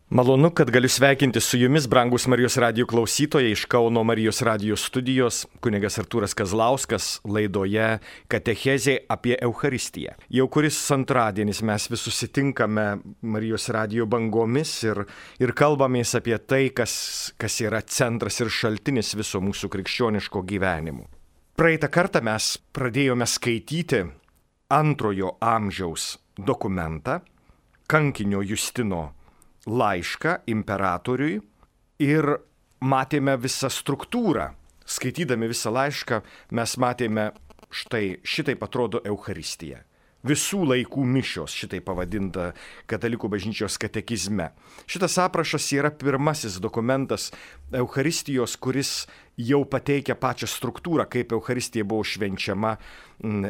Malonu, kad galiu sveikinti su jumis, brangus Marijos radijo klausytojai, iš Kauno Marijos radijo studijos, kunigas Artūras Kazlauskas, laidoje Katechezė apie Eucharistiją. Jau kuris antradienis mes vis susitinkame Marijos radijo bangomis ir kalbamės apie tai, kas yra centras ir šaltinis viso mūsų krikščioniško gyvenimo. Praeitą kartą mes pradėjome skaityti antrojo amžiaus dokumentą, kankinio Justino laišką imperatoriui ir matėme visą struktūrą. Skaitydami visą laišką mes matėme šitaip atrodo Eucharistija. Visų laikų mišios, šitaip pavadinta Katalikų bažnyčios katekizme. Šitas aprašas yra pirmasis dokumentas Eucharistijos, kuris jau pateikia pačią struktūrą, kaip Eucharistija buvo švenčiama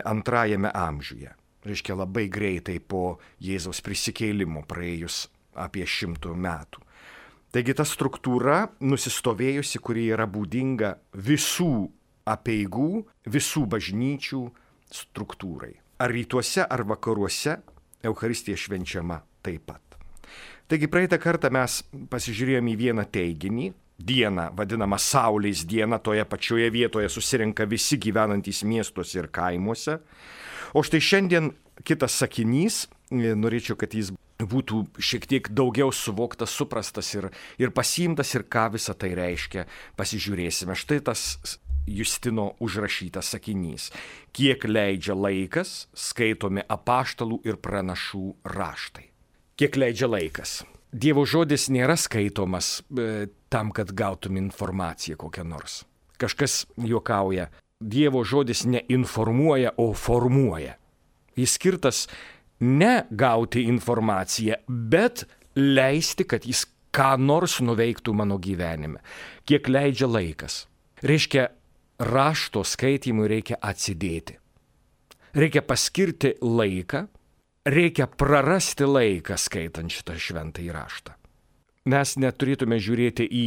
antrajame amžiuje. Reiškia labai greitai po Jėzaus prisikėlimo praėjus apie 100 metų. Taigi ta struktūra nusistovėjusi, kuri yra būdinga visų apeigų, visų bažnyčių struktūrai. Ar rytuose, ar vakaruose Eucharistija švenčiama taip pat. Taigi praeitą kartą mes pasižiūrėjome į vieną teiginį, dieną vadinamą Saulės dieną, toje pačioje vietoje susirenka visi gyvenantys miestuose ir kaimuose. O štai šiandien kitas sakinys, norėčiau, kad jis būtų šiek tiek daugiau suvoktas, suprastas ir pasiimtas ir ką visą tai reiškia, pasižiūrėsime. Štai tas Justino užrašytas sakinys. Kiek leidžia laikas, skaitomi apaštalų ir pranašų raštai. Kiek leidžia laikas. Dievo žodis nėra skaitomas tam, kad gautum informaciją kokią nors. Kažkas juokauja, Dievo žodis neinformuoja, o formuoja. Jis skirtas ne gauti informaciją, bet leisti, kad jis ką nors nuveiktų mano gyvenime. Kiek leidžia laikas. Reiškia, rašto skaitimui reikia atsidėti. Reikia paskirti laiką, reikia prarasti laiką skaitant šitą šventąjį raštą. Mes neturėtume žiūrėti į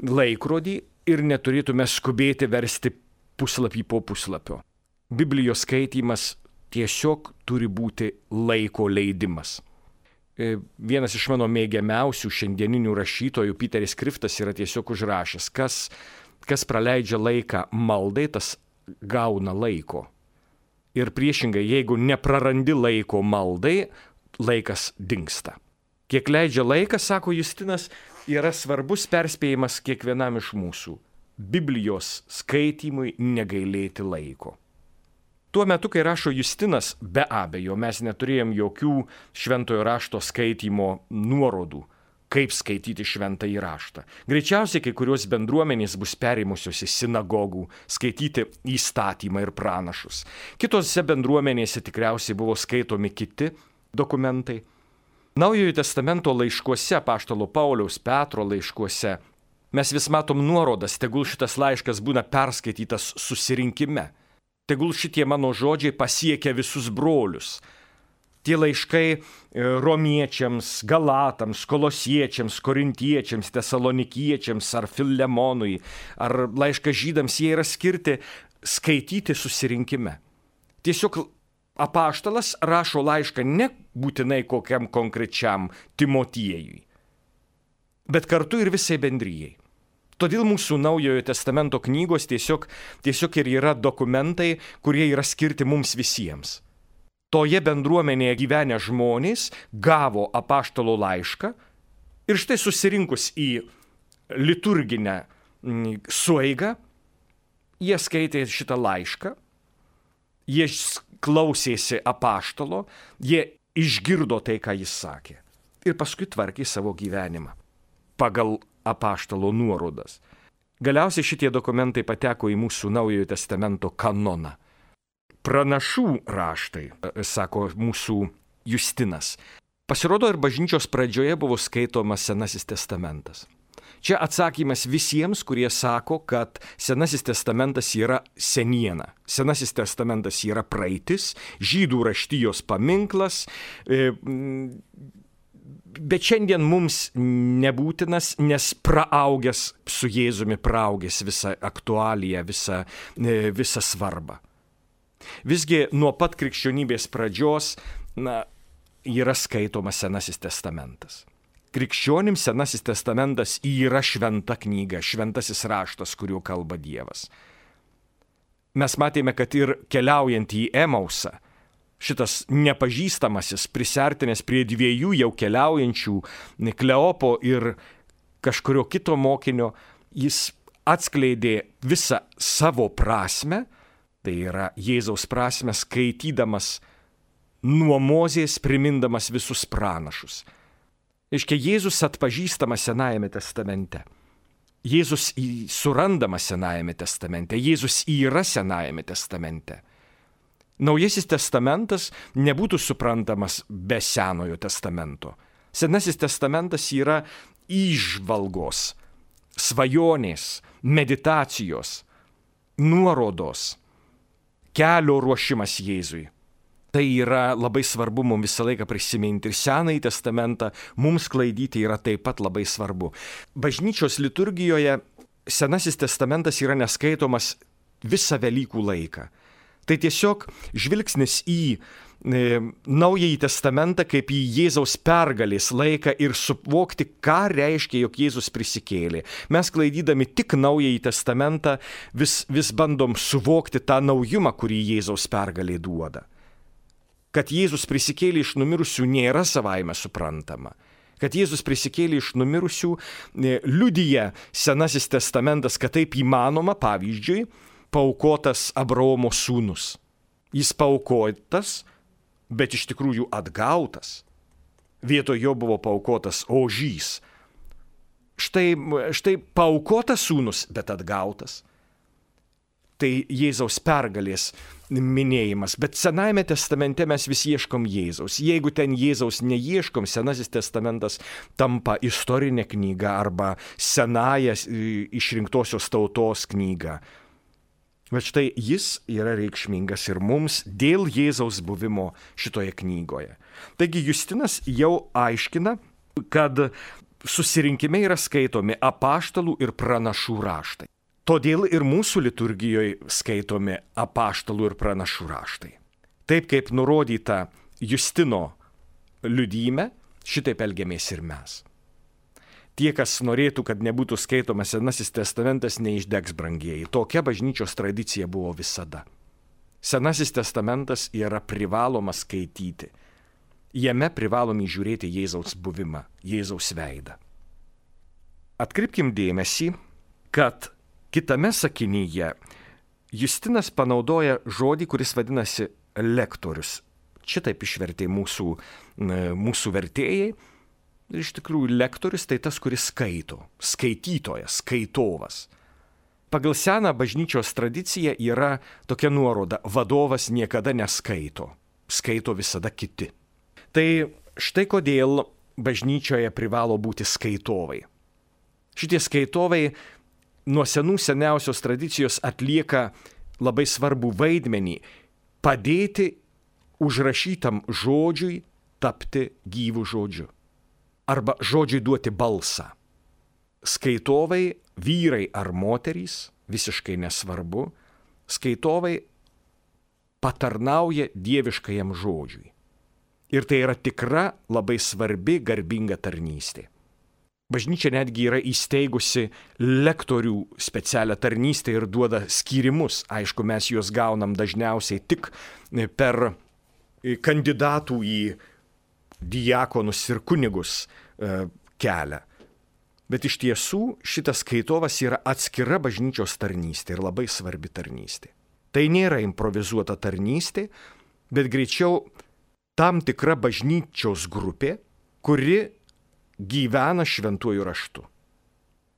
laikrodį ir neturėtume skubėti versti puslapį po puslapio. Biblijos skaitymas tiesiog turi būti laiko leidimas. Vienas iš mano mėgiamiausių šiandieninių rašytojų, Peteris Kriftas, yra tiesiog užrašęs, kas praleidžia laiką maldai, tas gauna laiko. Ir priešingai, jeigu neprarandi laiko maldai, laikas dingsta. Kiek leidžia laikas, sako Justinas, yra svarbus perspėjimas kiekvienam iš mūsų. Biblijos skaitymui negailėti laiko. Tuo metu, kai rašo Justinas, be abejo, mes neturėjom jokių šventojo rašto skaitymo nuorodų, kaip skaityti šventąjį raštą. Greičiausiai kai kurios bendruomenės bus perėmusios į sinagogų skaityti įstatymą ir pranašus. Kitose bendruomenėse tikriausiai buvo skaitomi kiti dokumentai. Naujojo testamento laiškuose, apaštalo Pauliaus, Petro laiškuose, mes vis matom nuorodas, tegul šitas laiškas būna perskaitytas susirinkime. Tegul šitie mano žodžiai pasiekia visus brolius. Tie laiškai romiečiams, galatams, kolosiečiams, korintiečiams, tesalonikiečiams ar Filemonui, ar laiškas žydams, jie yra skirti skaityti susirinkime. Tiesiog apaštalas rašo laišką ne būtinai kokiam konkrečiam Timotiejui, bet kartu ir visai bendrijai. Todėl mūsų Naujojo testamento knygos tiesiog ir yra dokumentai, kurie yra skirti mums visiems. Toje bendruomenėje gyvenę žmonės gavo apaštalo laišką ir štai susirinkus į liturginę sueigą, jie skaitė šitą laišką, jie klausėsi apaštalo, jie išgirdo tai, ką jis sakė ir paskui tvarkė savo gyvenimą pagal apaštalo nuorodas. Galiausiai šitie dokumentai pateko į mūsų Naujojo testamento kanoną. Pranašų raštai, sako mūsų Justinas. Pasirodo, ir bažnyčios pradžioje buvo skaitomas Senasis testamentas. Čia atsakymas visiems, kurie sako, kad Senasis testamentas yra seniena. Senasis testamentas yra praeitis, žydų raštijos paminklas, bet šiandien mums nebūtinas, nes praaugęs su Jėzumi, praaugęs visą aktualiją, visą svarbą. Visgi nuo pat krikščionybės pradžios yra skaitomas Senasis testamentas. Krikščionims Senasis testamentas yra šventa knyga, šventasis raštas, kuriuo kalba Dievas. Mes matėme, kad ir keliaujant į Emausą, šitas nepažįstamasis prisiartinęs prie dviejų jau keliaujančių, Kleopo ir kažkurio kito mokinio, jis atskleidė visą savo prasmę, tai yra Jėzaus prasmę, skaitydamas nuo Mozės, primindamas visus pranašus. Reiškia, Jėzus atpažįstamas Senajame testamente. Jėzus surandamas Senajame testamente. Jėzus yra Senajame testamente. Naujasis testamentas nebūtų suprantamas be Senojo testamento. Senasis testamentas yra įžvalgos, svajonės, meditacijos, nuorodos, kelio ruošimas Jėzui. Tai yra labai svarbu mums visą laiką prisiminti ir Senąjį testamentą mums klaidyti yra taip pat labai svarbu. Bažnyčios liturgijoje Senasis testamentas yra neskaitomas visą Velykų laiką. Tai tiesiog žvilgsnis į Naująjį testamentą kaip į Jėzaus pergalės laiką ir suvokti, ką reiškia, jog Jėzus prisikėlė. Mes klaidydami tik Naująjį testamentą vis bandom suvokti tą naujumą, kurį Jėzaus pergalė duoda. Kad Jėzus prisikėlė iš numirusių nėra savaime suprantama. Kad Jėzus prisikėlė iš numirusių liudija Senasis testamentas, kad taip įmanoma, pavyzdžiui, paaukotas Abraomo sūnus. Jis paaukotas, bet iš tikrųjų atgautas. Vietoj jo buvo paaukotas ožys. Štai paaukotas sūnus, bet atgautas. Tai Jėzaus pergalės minėjimas. Bet Senajame testamente mes vis ieškom Jėzaus. Jeigu ten Jėzaus neieškom, Senasis testamentas tampa istorinė knyga arba senąja išrinktosios tautos knyga. Bet štai jis yra reikšmingas ir mums dėl Jėzaus buvimo šitoje knygoje. Taigi Justinas jau aiškina, kad susirinkime yra skaitomi apaštalų ir pranašų raštai. Todėl ir mūsų liturgijoje skaitomi apaštalų ir pranašų raštai. Taip kaip nurodyta Justino liudyme, šitaip elgiamės ir mes. Tie, kas norėtų, kad nebūtų skaitomas Senasis testamentas, neišdegs, brangieji. Tokia bažnyčios tradicija buvo visada. Senasis testamentas yra privalomas skaityti. Jame privalom įžiūrėti Jėzaus buvimą, Jėzaus veidą. Atkreipkim dėmesį, kad kitame sakinyje Justinas panaudoja žodį, kuris vadinasi lektorius. Šitaip išvertė mūsų vertėjai. Ir iš tikrųjų lektorius tai tas, kuris skaito, skaitytojas, skaitovas. Pagal seną bažnyčios tradiciją yra tokia nuoroda: vadovas niekada neskaito, skaito visada kiti. Tai štai kodėl bažnyčioje privalo būti skaitovai. Šitie skaitovai nuo seniausios tradicijos atlieka labai svarbų vaidmenį padėti užrašytam žodžiui tapti gyvų žodžiu. Arba žodžiui duoti balsą. Skaitovai, vyrai ar moterys, visiškai nesvarbu, skaitovai patarnauja dieviškajam žodžiui. Ir tai yra tikra, labai svarbi, garbinga tarnystė. Bažnyčia netgi yra įsteigusi lektorių specialią tarnystę ir duoda skyrimus. Aišku, mes juos gaunam dažniausiai tik per kandidatų į diakonus ir kunigus kelią. Bet iš tiesų šitas skaitovas yra atskira bažnyčios tarnystė ir labai svarbi tarnystė. Tai nėra improvizuota tarnystė, bet greičiau tam tikra bažnyčios grupė, kuri gyvena šventuoju raštu.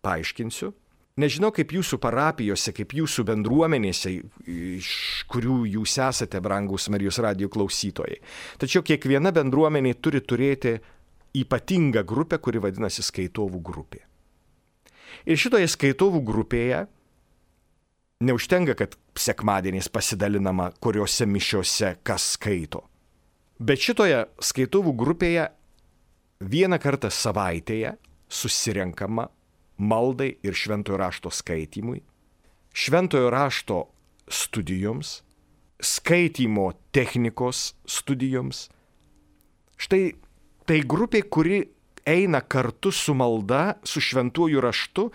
Paaiškinsiu. Nežinau, kaip jūsų parapijose, kaip jūsų bendruomenėse, iš kurių jūs esate, brangūs Marijos radijo klausytojai. Tačiau kiekviena bendruomenė turi turėti ypatingą grupę, kuri vadinasi skaitovų grupė. Ir šitoje skaitovų grupėje neužtenka, kad sekmadieniais pasidalinama, kuriuose mišiose kas skaito. Bet šitoje skaitovų grupėje vieną kartą savaitėje susirenkama maldai ir šventojo rašto skaitymui, šventojo rašto studijoms, skaitymo technikos studijoms. Štai tai grupė, kuri eina kartu su malda, su šventuoju raštu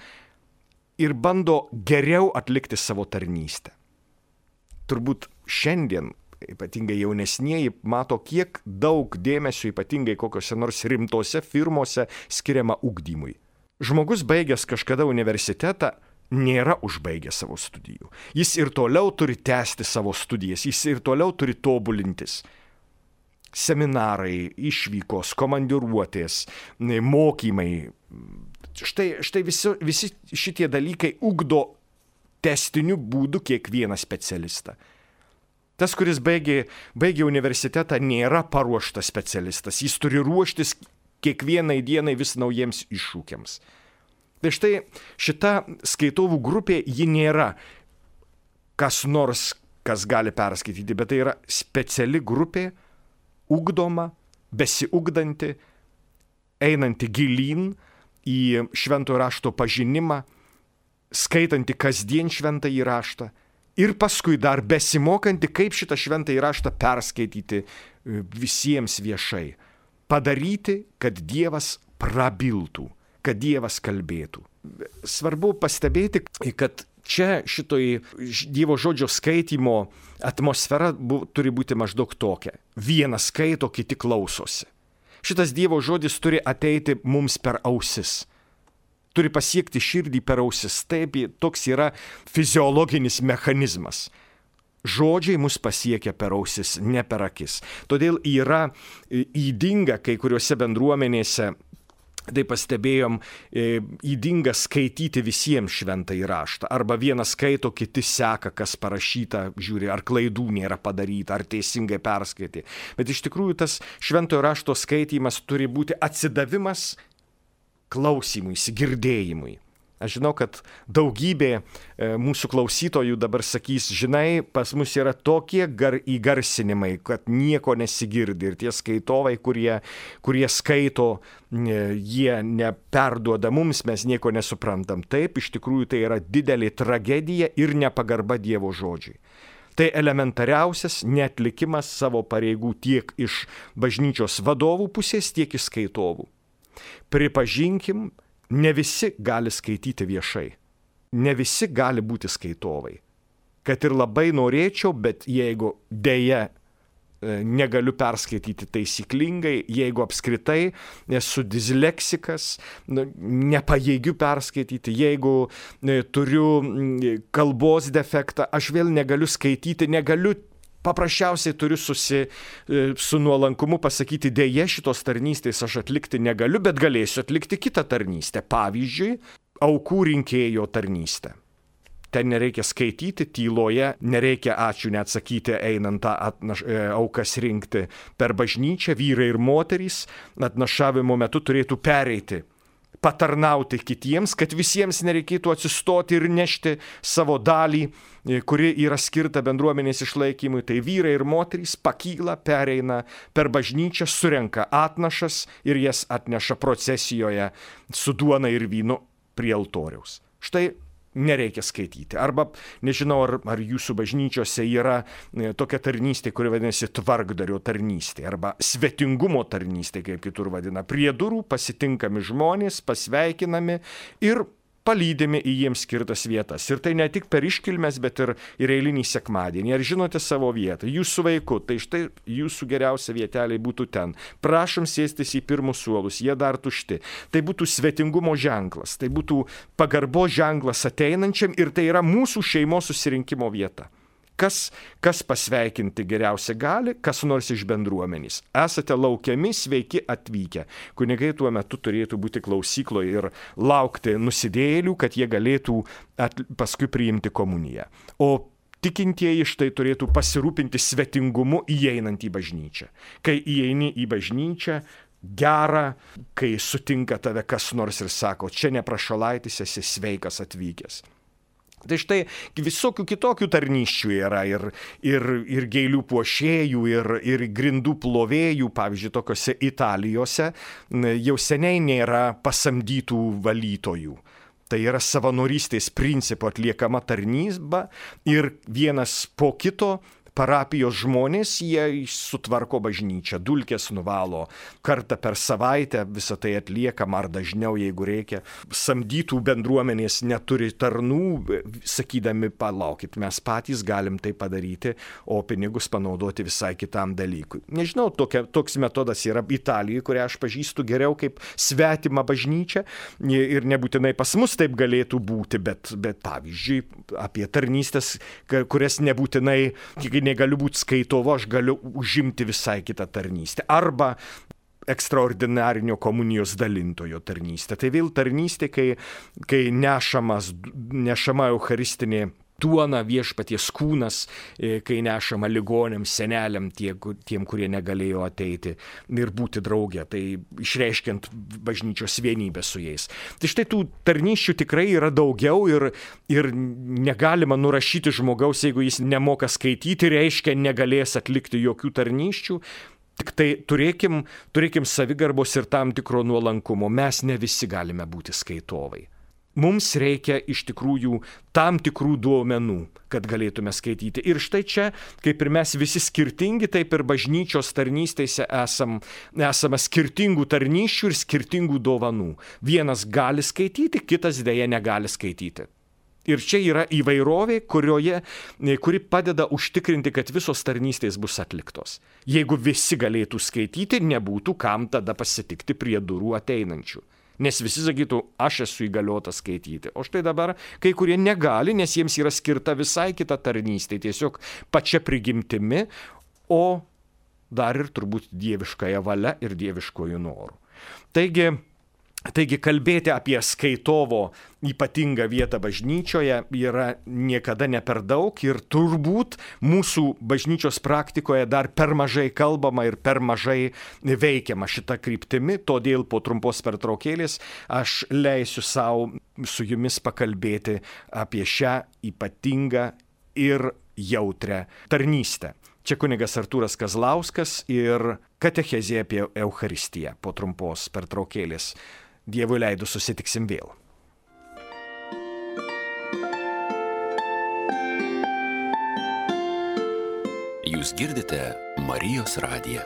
ir bando geriau atlikti savo tarnystę. Turbūt šiandien ypatingai jaunesnieji mato, kiek daug dėmesio, ypatingai kokiose nors rimtose firmose, skiriama ugdymui. Žmogus baigęs kažkada universitetą nėra užbaigęs savo studijų. Jis ir toliau turi tęsti savo studijas, jis ir toliau turi tobulintis. Seminarai, išvykos, komandiruotės, mokymai. Štai visi šitie dalykai ugdo tęstiniu būdu kiekvieną specialistą. Tas, kuris baigė universitetą, nėra paruoštas specialistas. Jis turi ruoštis kiekvienai dienai vis naujiems iššūkiams. Tai štai šita skaitovų grupė, ji nėra kas nors, kas gali perskaityti, bet tai yra speciali grupė, ugdoma, besiugdanti, einanti gilyn į šventojo rašto pažinimą, skaitanti kasdien šventąjį raštą ir paskui dar besimokanti, kaip šitą šventąjį raštą perskaityti visiems viešai. Padaryti, kad Dievas prabiltų, kad Dievas kalbėtų. Svarbu pastebėti, kad čia šitoj Dievo žodžio skaitymo atmosfera turi būti maždaug tokia. Vienas skaito, kiti klausosi. Šitas Dievo žodis turi ateiti mums per ausis. Turi pasiekti širdį per ausis. Taip, toks yra fiziologinis mechanizmas. Žodžiai mus pasiekia per ausis, ne per akis. Todėl yra ydinga kai kuriuose bendruomenėse, tai pastebėjom, ydinga skaityti visiems šventąjį raštą. Arba vienas skaito, kiti seka, kas parašyta, žiūri, ar klaidų nėra padaryta, ar teisingai perskaitė. Bet iš tikrųjų tas šventojo rašto skaitymas turi būti atsidavimas klausimui, girdėjimui. Aš žinau, kad daugybė mūsų klausytojų dabar sakys, žinai, pas mus yra tokie įgarsinimai, kad nieko nesigirdi. Ir tie skaitovai, kurie skaito, jie neperduoda mums, mes nieko nesuprantam. Taip, iš tikrųjų tai yra didelė tragedija ir nepagarba Dievo žodžiui. Tai elementariausias neatlikimas savo pareigų tiek iš bažnyčios vadovų pusės, tiek iš skaitovų. Pripažinkim, ne visi gali skaityti viešai. Ne visi gali būti skaitovai. Kad ir labai norėčiau, bet jeigu dėja negaliu perskaityti taisyklingai, jeigu apskritai esu disleksikas, nepajėgiu perskaityti, jeigu turiu kalbos defektą, aš vėl negaliu skaityti, paprasčiausiai turiu su nuolankumu pasakyti, dėja šitos tarnystės aš atlikti negaliu, bet galėsiu atlikti kitą tarnystę. Pavyzdžiui, aukų rinkėjo tarnystę. Ten nereikia skaityti, tyloje, nereikia ačiū neatsakyti einant tą aukas rinkti per bažnyčią, vyrai ir moterys atnašavimo metu turėtų pereiti, patarnauti kitiems, kad visiems nereikėtų atsistoti ir nešti savo dalį, kuri yra skirta bendruomenės išlaikymui. Tai vyrai ir moterys pakyla, pereina per bažnyčią, surenka atnašas ir jas atneša procesijoje su duona ir vynu prie altoriaus. Štai nereikia skaityti. Arba, nežinau, ar jūsų bažnyčiose yra tokia tarnystė, kuri vadinasi tvarkdario tarnystė, arba svetingumo tarnystė, kaip kitur vadina. Prie durų pasitinkami žmonės, pasveikinami ir palydimi į jiems skirtas vietas. Ir tai ne tik per iškilmes, bet ir eilinį sekmadienį. Ar žinote savo vietą? Jūs su vaiku, tai štai jūsų geriausia vietelė būtų ten. Prašom sėstis į pirmus suolus, jie dar tušti. Tai būtų svetingumo ženklas, tai būtų pagarbo ženklas ateinančiam ir tai yra mūsų šeimos susirinkimo vieta. Kas pasveikinti geriausia gali, kas nors iš bendruomenės. Esate laukiami, sveiki atvykę. Kunigai tuo metu turėtų būti klausykloje ir laukti nusidėjėlių, kad jie galėtų paskui priimti komuniją. O tikintieji štai turėtų pasirūpinti svetingumu įeinant į bažnyčią. Kai įeini į bažnyčią, gera, kai sutinka tave kas nors ir sako, čia neprašalaitis, esi sveikas atvykęs. Tai štai visokių kitokių tarnysčių yra ir gėlių puošėjų, ir grindų plovėjų, pavyzdžiui, tokiose Italijose jau seniai nėra pasamdytų valytojų. Tai yra savanorystės principu atliekama tarnyba ir vienas po kito parapijos žmonės, jie sutvarko bažnyčią, dulkes nuvalo, kartą per savaitę visą tai atliekama ar dažniau, jeigu reikia. Samdytų bendruomenės neturi tarnų, sakydami, palaukit, mes patys galim tai padaryti, o pinigus panaudoti visai kitam dalykui. Nežinau, toks metodas yra Italijoje, kurią aš pažįstu geriau kaip svetimą bažnyčią ir nebūtinai pas mus taip galėtų būti, bet pavyzdžiui, apie tarnystės, kurias nebūtinai, kai negaliu būti skaitovo, aš galiu užimti visai kitą tarnystę. Arba ekstraordinarinio komunijos dalintojo tarnystė. Tai vėl tarnystė, kai nešama eucharistinė duona, viešpaties kūnas, kai nešama ligoniams, seneliam, tiem, kurie negalėjo ateiti ir būti drauge, tai išreiškiant bažnyčios vienybę su jais. Tai štai tų tarnysčių tikrai yra daugiau ir negalima nurašyti žmogaus, jeigu jis nemoka skaityti, reiškia negalės atlikti jokių tarnysčių. Tik tai turėkim savigarbos ir tam tikro nuolankumo. Mes ne visi galime būti skaitovai. Mums reikia iš tikrųjų tam tikrų duomenų, kad galėtume skaityti. Ir štai čia, kaip ir mes visi skirtingi, taip ir bažnyčios tarnystėse esame skirtingų tarnysčių ir skirtingų dovanų. Vienas gali skaityti, kitas dėja negali skaityti. Ir čia yra įvairovė, kuri padeda užtikrinti, kad visos tarnystės bus atliktos. Jeigu visi galėtų skaityti, nebūtų kam tada pasitikti prie durų ateinančių. Nes visi sakytų, aš esu įgaliotas skaityti. O štai dabar kai kurie negali, nes jiems yra skirta visai kita tarnystė, tiesiog pačia prigimtimi, o dar ir turbūt dieviškąją valia ir dieviškojų norų. Taigi kalbėti apie skaitovo ypatingą vietą bažnyčioje yra niekada ne per daug ir turbūt mūsų bažnyčios praktikoje dar per mažai kalbama ir per mažai veikiama šita kryptimi, todėl po trumpos pertraukėlės aš leisiu savo su jumis pakalbėti apie šią ypatingą ir jautrią tarnystę. Čia kunigas Artūras Kazlauskas ir katechezė apie Eucharistiją po trumpos pertraukėlės. Dievui leidus susitiksim vėl. Jūs girdite Marijos radiją.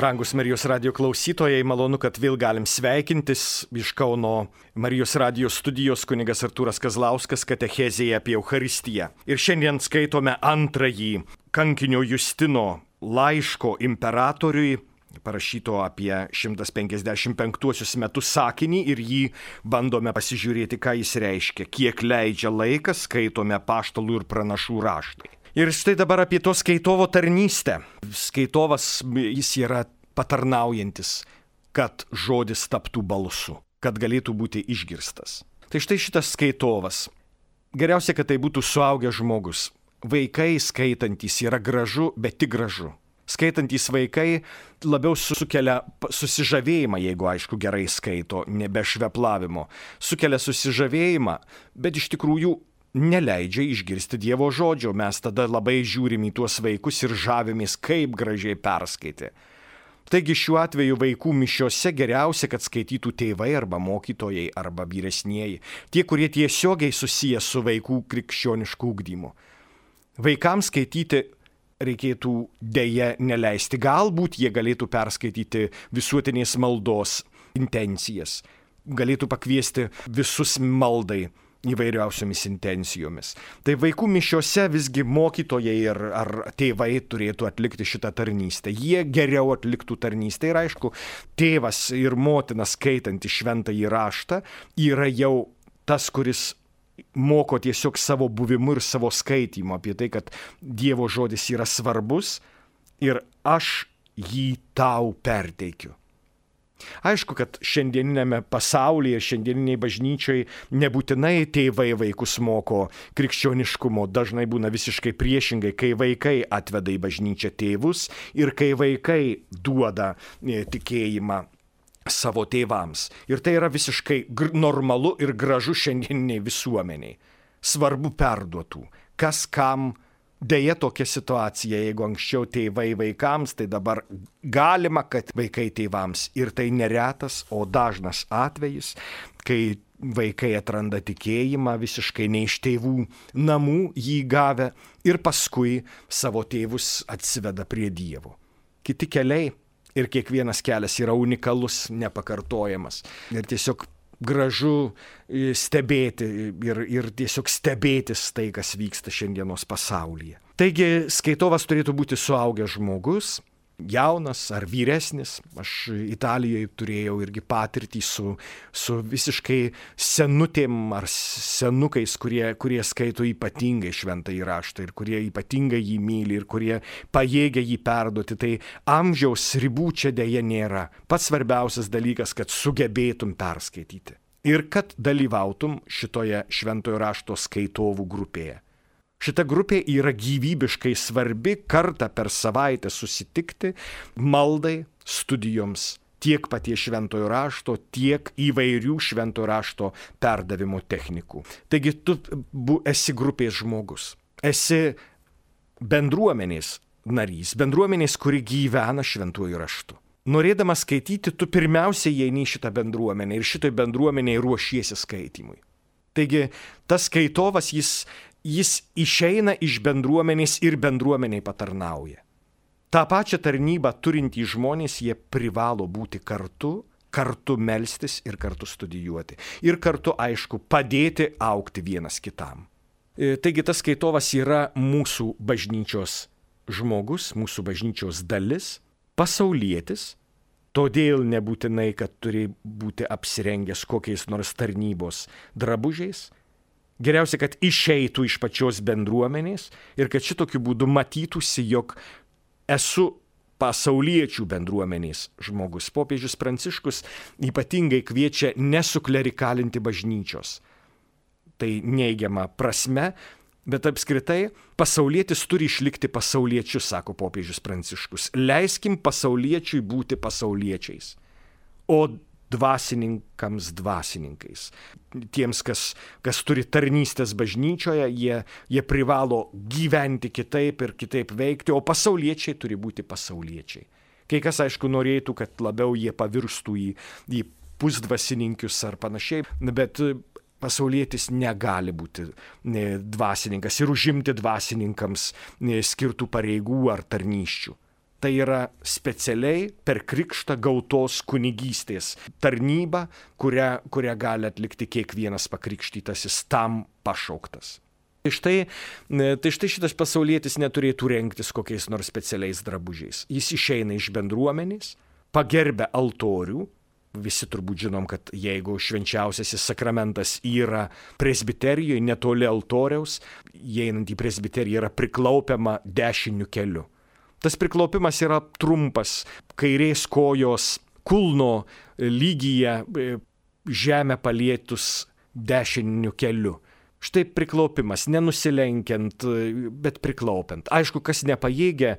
Brangus Marijos radio klausytojai, malonu, kad vėl galim sveikintis iš Kauno Marijos radio studijos kunigas Artūras Kazlauskas katechezėje apie Eucharistiją. Ir šiandien skaitome antrąjį kankinio Justino laiško imperatoriui, parašyto apie 155 metus sakinį ir jį bandome pasižiūrėti, ką jis reiškia, kiek leidžia laikas, skaitome apaštalų ir pranašų raštai. Ir štai dabar apie to skaitovo tarnystę. Skaitovas, jis yra patarnaujantis, kad žodis taptų balsu, kad galėtų būti išgirstas. Tai štai šitas skaitovas. Geriausia, kad tai būtų suaugęs žmogus. Vaikai skaitantys yra gražu, bet tik gražu. Skaitantys vaikai labiau sukelia susižavėjimą, jeigu aišku gerai skaito, nebe šveplavimo. Sukelia susižavėjimą, bet iš tikrųjų neleidžia išgirsti Dievo žodžio. Mes tada labai žiūrim į tuos vaikus ir žavimės, kaip gražiai perskaitė. Taigi šiuo atveju vaikų mišiose geriausia, kad skaitytų tėvai arba mokytojai arba vyresnieji, tie, kurie tiesiogiai susiję su vaikų krikščionišku ugdymu. Vaikams skaityti reikėtų dėja neleisti. Galbūt jie galėtų perskaityti visuotinės maldos intencijas, galėtų pakviesti visus maldai įvairiausiomis intencijomis. Tai vaikų mišiose visgi mokytojai ar tėvai turėtų atlikti šitą tarnystę. Jie geriau atliktų tarnystę ir aišku, tėvas ir motina skaitanti šventąjį raštą yra jau tas, kuris moko tiesiog savo buvimu ir savo skaitymu apie tai, kad Dievo žodis yra svarbus ir aš jį tau perteikiu. Aišku, kad šiandieninėme pasaulyje, šiandieniniai bažnyčiai nebūtinai tėvai vaikus moko krikščioniškumo, dažnai būna visiškai priešingai, kai vaikai atveda į bažnyčią tėvus ir kai vaikai duoda tikėjimą savo tėvams. Ir tai yra visiškai normalu ir gražu šiandieniniai visuomeniai. Svarbu perduotų, kas kam. Deja tokia situacija, jeigu anksčiau tėvai vaikams, tai dabar galima, kad vaikai tėvams. Ir tai neretas, o dažnas atvejis, kai vaikai atranda tikėjimą visiškai ne iš tėvų namų jį gavę ir paskui savo tėvus atsiveda prie Dievo. Kiti keliai ir kiekvienas kelias yra unikalus, nepakartojamas. Ir tiesiog gražu stebėti ir tiesiog stebėtis tai, kas vyksta šiandienos pasaulyje. Taigi skaitovas turėtų būti suaugęs žmogus, jaunas ar vyresnis. Aš Italijoje turėjau irgi patirtį su visiškai senutėm ar senukais, kurie skaito ypatingai šventąjį raštą ir kurie ypatingai jį myli ir kurie pajėgia jį perduoti. Tai amžiaus ribų čia dėja nėra. Pats svarbiausias dalykas, kad sugebėtum perskaityti ir kad dalyvautum šitoje šventojo rašto skaitovų grupėje. Šita grupė yra gyvybiškai svarbi, kartą per savaitę susitikti maldai, studijoms, tiek paties šventojo rašto, tiek įvairių šventojo rašto perdavimo technikų. Taigi tu esi grupės žmogus, esi bendruomenės narys, bendruomenės, kuri gyvena šventuoju raštu. Norėdamas skaityti, tu pirmiausiai eini į šitą bendruomenę ir šitoj bendruomenėje ruošiesi skaitimui. Taigi tas skaitovas, jis išeina iš bendruomenės ir bendruomeniai patarnauja. Ta pačia tarnybą turintys žmonės, jie privalo būti kartu melstis ir kartu studijuoti. Ir kartu, aišku, padėti augti vienas kitam. Taigi tas skaitovas yra mūsų bažnyčios žmogus, mūsų bažnyčios dalis, pasaulietis, todėl nebūtinai, kad turi būti apsirengęs kokiais nors tarnybos drabužiais. Geriausia, kad išeitų iš pačios bendruomenės ir kad šitokiu būdu matytųsi, jog esu pasauliečių bendruomenės žmogus. Popiežius Pranciškus ypatingai kviečia nesuklerikalinti bažnyčios. Tai neigiama prasme, bet apskritai pasaulietis turi išlikti pasauliečiu, sako popiežius Pranciškus. Leiskim pasauliečiui būti pasauliečiais, o dvasininkams dvasininkais. Tiems, kas turi tarnystės bažnyčioje, jie privalo gyventi kitaip ir kitaip veikti, o pasauliečiai turi būti pasauliečiai. Kai kas, aišku, norėtų, kad labiau jie pavirstų į pusdvasininkius ar panašiai, bet pasaulietis negali būti dvasininkas ir užimti dvasininkams skirtų pareigų ar tarnysčių. Tai yra specialiai per krikštą gautos kunigystės tarnyba, kurią gali atlikti kiekvienas pakrikštytasis tam pašauktas. Tai štai šitas pasaulietis neturėtų rengtis kokiais nors specialiais drabužiais. Jis išeina iš bendruomenės, pagerbia altorių. Visi turbūt žinom, kad jeigu švenčiausiasis sakramentas yra presbiterijoje, netoli altoriaus, įeinant į presbiteriją yra priklaupiama dešiniu keliu. Tas priklaupimas yra trumpas, kairės kojos kulno lygyje žemę palietus dešiniu keliu. Štai priklaupimas, nenusilenkiant, bet priklaupiant. Aišku, kas nepajėgia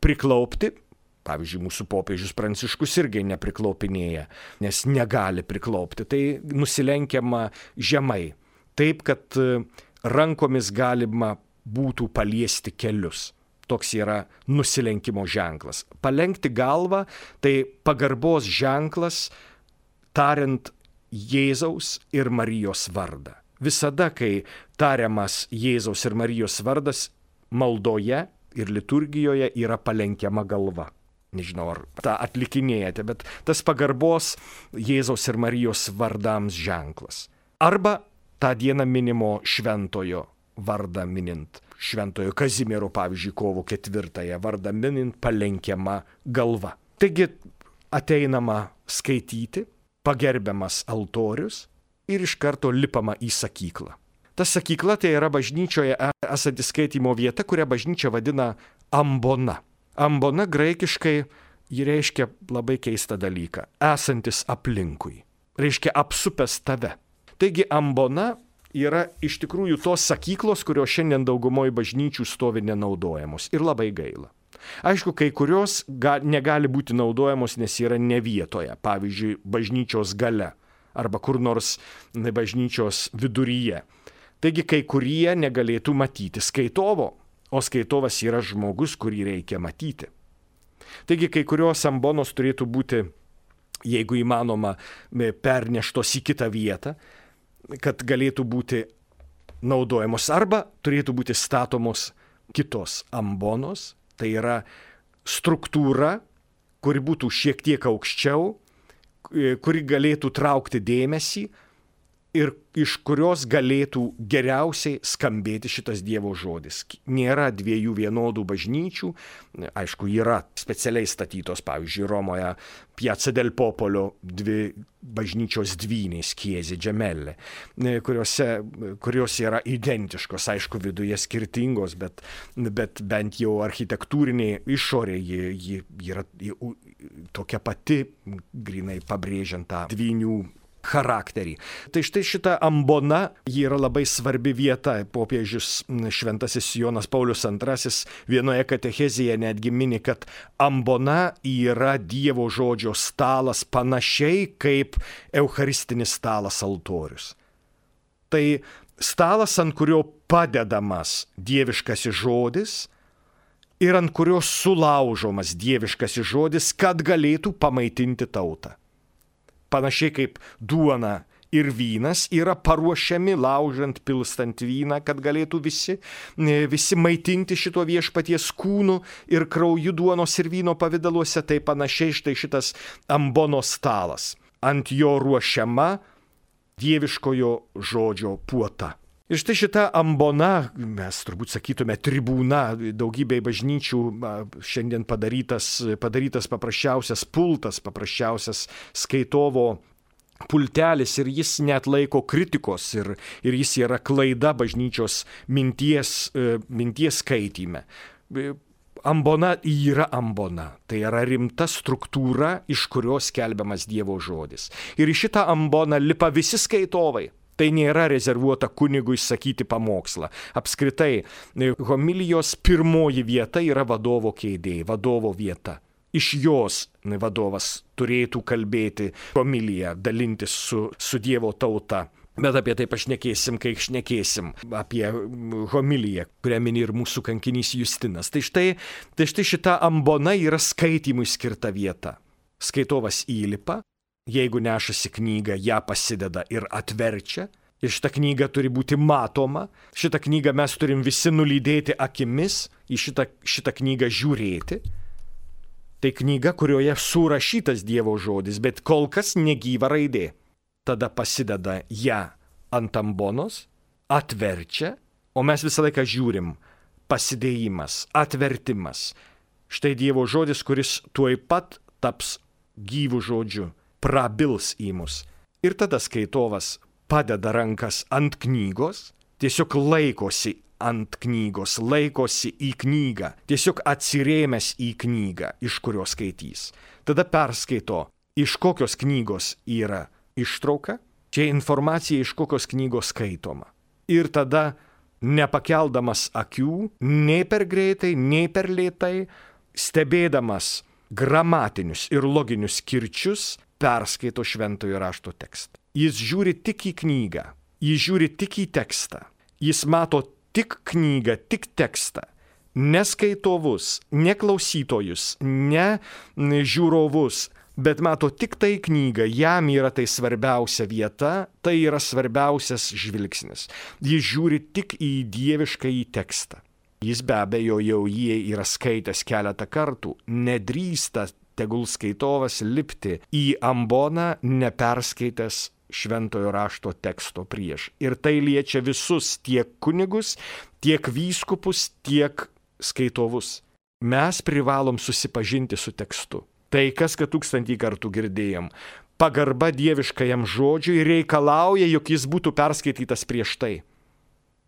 priklaupti, pavyzdžiui, mūsų popiežius Pranciškus irgi nepriklaupinėja, nes negali priklaupti. Tai nusilenkiama žemai, taip, kad rankomis galima būtų paliesti kelius. Toks yra nusilenkimo ženklas. Palenkti galvą tai pagarbos ženklas, tariant Jėzaus ir Marijos vardą. Visada, kai tariamas Jėzaus ir Marijos vardas, maldoje ir liturgijoje yra palenkiama galva. Nežinau, ar tą atlikinėjate, bet tas pagarbos Jėzaus ir Marijos vardams ženklas. Arba tą dieną minimo šventojo vardą minint. Šventojo Kazimiero, pavyzdžiui, kovo 4 vardą minint palenkiama galva. Taigi ateinama skaityti, pagerbiamas altorius, ir iš karto lipama į sakyklą. Ta sakykla tai yra bažnyčioje esanti skaitymo vieta, kurią bažnyčia vadina ambona. Ambona graikiškai ji reiškia labai keistą dalyką – esantis aplinkui. Reiškia apsupęs tave. Taigi ambona yra iš tikrųjų tos sakyklos, kurios šiandien daugumoje bažnyčių stovi nenaudojamos ir labai gaila. Aišku, kai kurios negali būti naudojamos, nes yra ne vietoje, pavyzdžiui, bažnyčios gale arba kur nors bažnyčios viduryje. Taigi kai kurie negalėtų matyti skaitovo, o skaitovas yra žmogus, kurį reikia matyti. Taigi kai kurios ambonos turėtų būti, jeigu įmanoma, perneštos į kitą vietą, kad galėtų būti naudojamos, arba turėtų būti statomos kitos ambonos, tai yra struktūra, kuri būtų šiek tiek aukščiau, kuri galėtų traukti dėmesį ir iš kurios galėtų geriausiai skambėti šitas Dievo žodis. Nėra dviejų vienodų bažnyčių, aišku, yra specialiai statytos, pavyzdžiui, Romoje Piazza del Popolo dvi bažnyčios dvynės, Chiese Gemelle, kurios yra identiškos, aišku, viduje skirtingos, bet bent jau architektūrinė išorė ji yra tokia pati, grinai pabrėžiant tą dvynių charakterį. Tai štai šita ambona, ji yra labai svarbi vieta. Popiežius šventasis Jonas Paulius II vienoje katechezėje netgi mini, kad ambona yra Dievo žodžio stalas panašiai kaip eucharistinis stalas altorius. Tai stalas, ant kurio padedamas dieviškasis žodis ir ant kurio sulaužomas dieviškasis žodis, kad galėtų pamaitinti tautą. Panašiai kaip duona ir vynas yra paruošiami laužant, pilstant vyną, kad galėtų visi maitinti šito viešpaties kūnu ir krauju duonos ir vyno pavidaluose, tai panašiai štai šitas ambonos stalas. Ant jo ruošiama dieviškojo žodžio puota. Ir štai šita ambona, mes turbūt sakytume tribūna, daugybėj bažnyčių šiandien padarytas paprasčiausias pultas, paprasčiausias skaitovo pultelis ir jis neatlaiko kritikos ir jis yra klaida bažnyčios minties skaityme. Ambona yra ambona, tai yra rimta struktūra, iš kurios skelbiamas Dievo žodis. Ir į šitą amboną lipa visi skaitovai. Tai nėra rezervuota kunigui sakyti pamokslą. Apskritai, homilijos pirmoji vieta yra vadovo kėdė, vadovo vieta. Iš jos vadovas turėtų kalbėti homiliją, dalintis su Dievo tauta. Bet apie tai pašnekėsim, kai šnekėsim apie homiliją, kurią mini ir mūsų kankinys Justinas. Tai štai šita ambona yra skaitymui skirta vieta. Skaitovas įlipa. Jeigu nešasi knygą, ją pasideda ir atverčia. Ir šita knyga turi būti matoma. Šitą knygą mes turim visi nulydėti akimis, į šitą knygą žiūrėti. Tai knyga, kurioje surašytas Dievo žodis, bet kol kas negyva raidė. Tada pasideda ją ant ambonos, atverčia, o mes visą laiką žiūrim. Pasidėjimas, atvertimas. Štai Dievo žodis, kuris tuoj pat taps gyvų žodžiu, prabils į mus. Ir tada skaitovas padeda rankas ant knygos, tiesiog laikosi ant knygos, laikosi į knygą, tiesiog atsirėmęs į knygą, iš kurios skaitys. Tada perskaito, iš kokios knygos yra ištrauka, čia informacija, iš kokios knygos skaitoma. Ir tada, nepakeldamas akių, nei per greitai, nei per lėtai, stebėdamas gramatinius ir loginius kirčius, perskaito šventojo rašto tekstą. Jis žiūri tik į knygą, jis žiūri tik į tekstą, jis mato tik knygą, tik tekstą, ne skaitovus, ne klausytojus, ne žiūrovus, bet mato tik tai knygą, jam yra tai svarbiausia vieta, tai yra svarbiausias žvilgsnis. Jis žiūri tik į dieviškąjį tekstą. Jis be abejo jau jį yra skaitęs keletą kartų, nedrįsta tegul skaitovas lipti į amboną neperskaitęs šventojo rašto teksto prieš. Ir tai liečia visus, tiek kunigus, tiek vyskupus, tiek skaitovus. Mes privalom susipažinti su tekstu. Tai kas, kad 1000 kartų girdėjom. Pagarba dieviškajam žodžiui reikalauja, jog jis būtų perskaitytas prieš tai.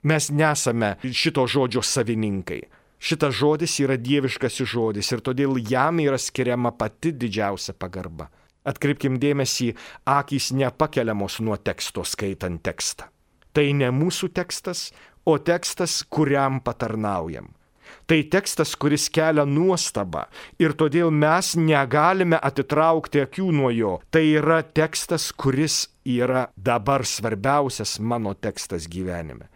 Mes nesame šito žodžio savininkai. Šitas žodis yra dieviškasis žodis ir todėl jam yra skiriama pati didžiausia pagarba. Atkreipkim dėmesį, akys nepakeliamos nuo teksto skaitant tekstą. Tai ne mūsų tekstas, o tekstas, kuriam patarnaujam. Tai tekstas, kuris kelia nuostabą ir todėl mes negalime atitraukti akių nuo jo. Tai yra tekstas, kuris yra dabar svarbiausias mano tekstas gyvenime.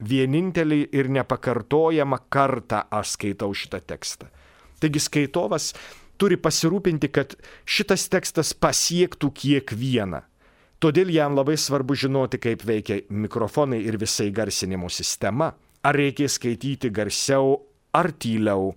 Vienintelį ir nepakartojamą kartą aš skaitau šitą tekstą. Taigi skaitovas turi pasirūpinti, kad šitas tekstas pasiektų kiekvieną. Todėl jam labai svarbu žinoti, kaip veikia mikrofonai ir visai garsinimo sistema. Ar reikia skaityti garsiau, ar tyliau.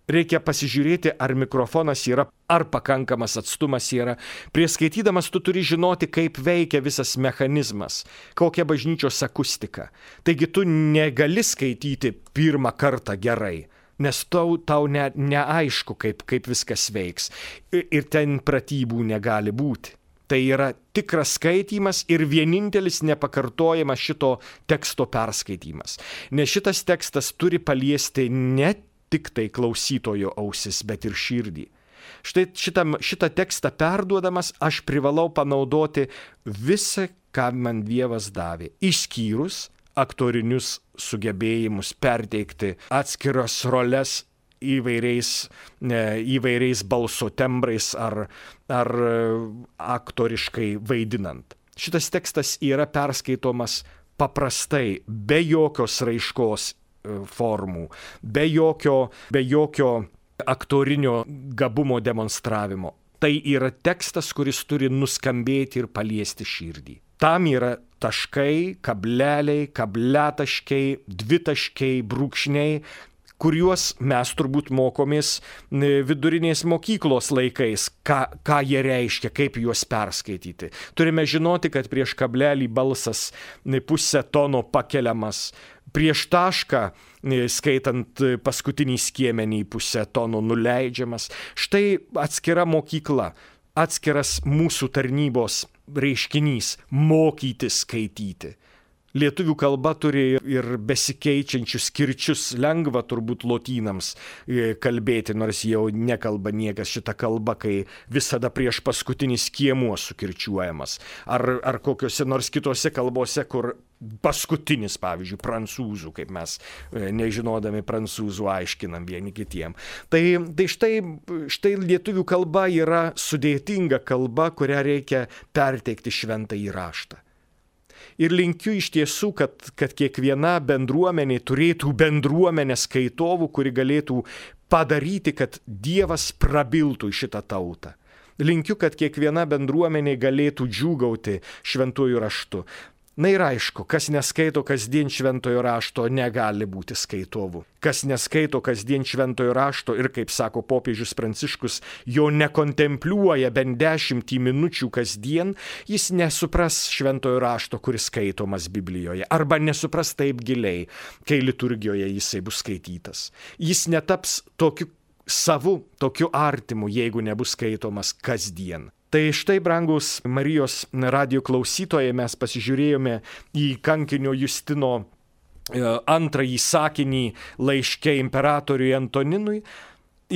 Reikia pasižiūrėti, ar mikrofonas yra, ar pakankamas atstumas yra. Prieš skaitydamas tu turi žinoti, kaip veikia visas mechanizmas, kokia bažnyčios akustika. Taigi tu negali skaityti pirmą kartą gerai, nes tau neaišku, kaip viskas veiks. Ir ten pratybų negali būti. Tai yra tikras skaitymas ir vienintelis nepakartojamas šito teksto perskaitymas. Nes šitas tekstas turi paliesti ne tik tai klausytojo ausis, bet ir širdį. Štai šitą tekstą perduodamas aš privalau panaudoti visą, ką man Dievas davė, išskyrus aktorinius sugebėjimus perteikti atskiras roles įvairiais balso tembrais ar aktoriškai vaidinant. Šitas tekstas yra perskaitomas paprastai, be jokios raiškos formų, be jokio aktorinio gabumo demonstravimo. Tai yra tekstas, kuris turi nuskambėti ir paliesti širdį. Tam yra taškai, kableliai, kabletaškiai, dvitaškiai, brūkšniai, kuriuos mes turbūt mokomės vidurinės mokyklos laikais, ką jie reiškia, kaip juos perskaityti. Turime žinoti, kad prieš kablelį balsas pusę tono pakeliamas, prieš tašką, skaitant paskutinį skiemenį, pusę tono nuleidžiamas. Štai atskira mokykla, atskiras mūsų tarnybos reiškinys – mokyti skaityti. Lietuvių kalba turi ir besikeičiančius kirčius, lengva turbūt lotynams kalbėti, nors jau nekalba niekas šitą kalbą, kai visada prieš paskutinį skiemuo sukirčiuojamas. Ar kokiuose nors kitose kalbose, kur paskutinis, pavyzdžiui, prancūzų, kaip mes nežinodami prancūzų aiškinam vieni kitiem. Tai štai lietuvių kalba yra sudėtinga kalba, kurią reikia perteikti šventąjį raštą. Ir linkiu iš tiesų, kad kiekviena bendruomenė turėtų bendruomenę skaitovų, kuri galėtų padaryti, kad Dievas prabiltų į šitą tautą. Linkiu, kad kiekviena bendruomenė galėtų džiūgauti šventuoju raštu. Na ir aišku, kas neskaito kasdien šventojo rašto, negali būti skaitovu. Kas neskaito kasdien šventojo rašto ir, kaip sako popiežius Pranciškus, jo nekontempliuoja bent 10 minučių kasdien, jis nesupras šventojo rašto, kuris skaitomas Biblijoje, arba nesupras taip giliai, kai liturgijoje jisai bus skaitytas. Jis netaps tokiu savu, tokiu artimu, jeigu nebus skaitomas kasdien. Tai štai, brangus Marijos radijo klausytojai, mes pasižiūrėjome į kankinio Justino antrąjį sakinį laiške imperatoriui Antoninui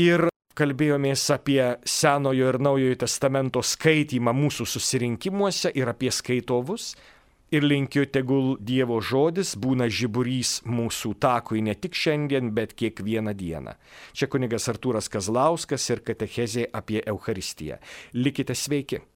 ir kalbėjomės apie Senojo ir Naujojo testamento skaitymą mūsų susirinkimuose ir apie skaitovus. Ir linkiu, tegul Dievo žodis būna žiburys mūsų takui ne tik šiandien, bet kiekvieną dieną. Čia kunigas Artūras Kazlauskas ir katechezė apie Eucharistiją. Likite sveiki.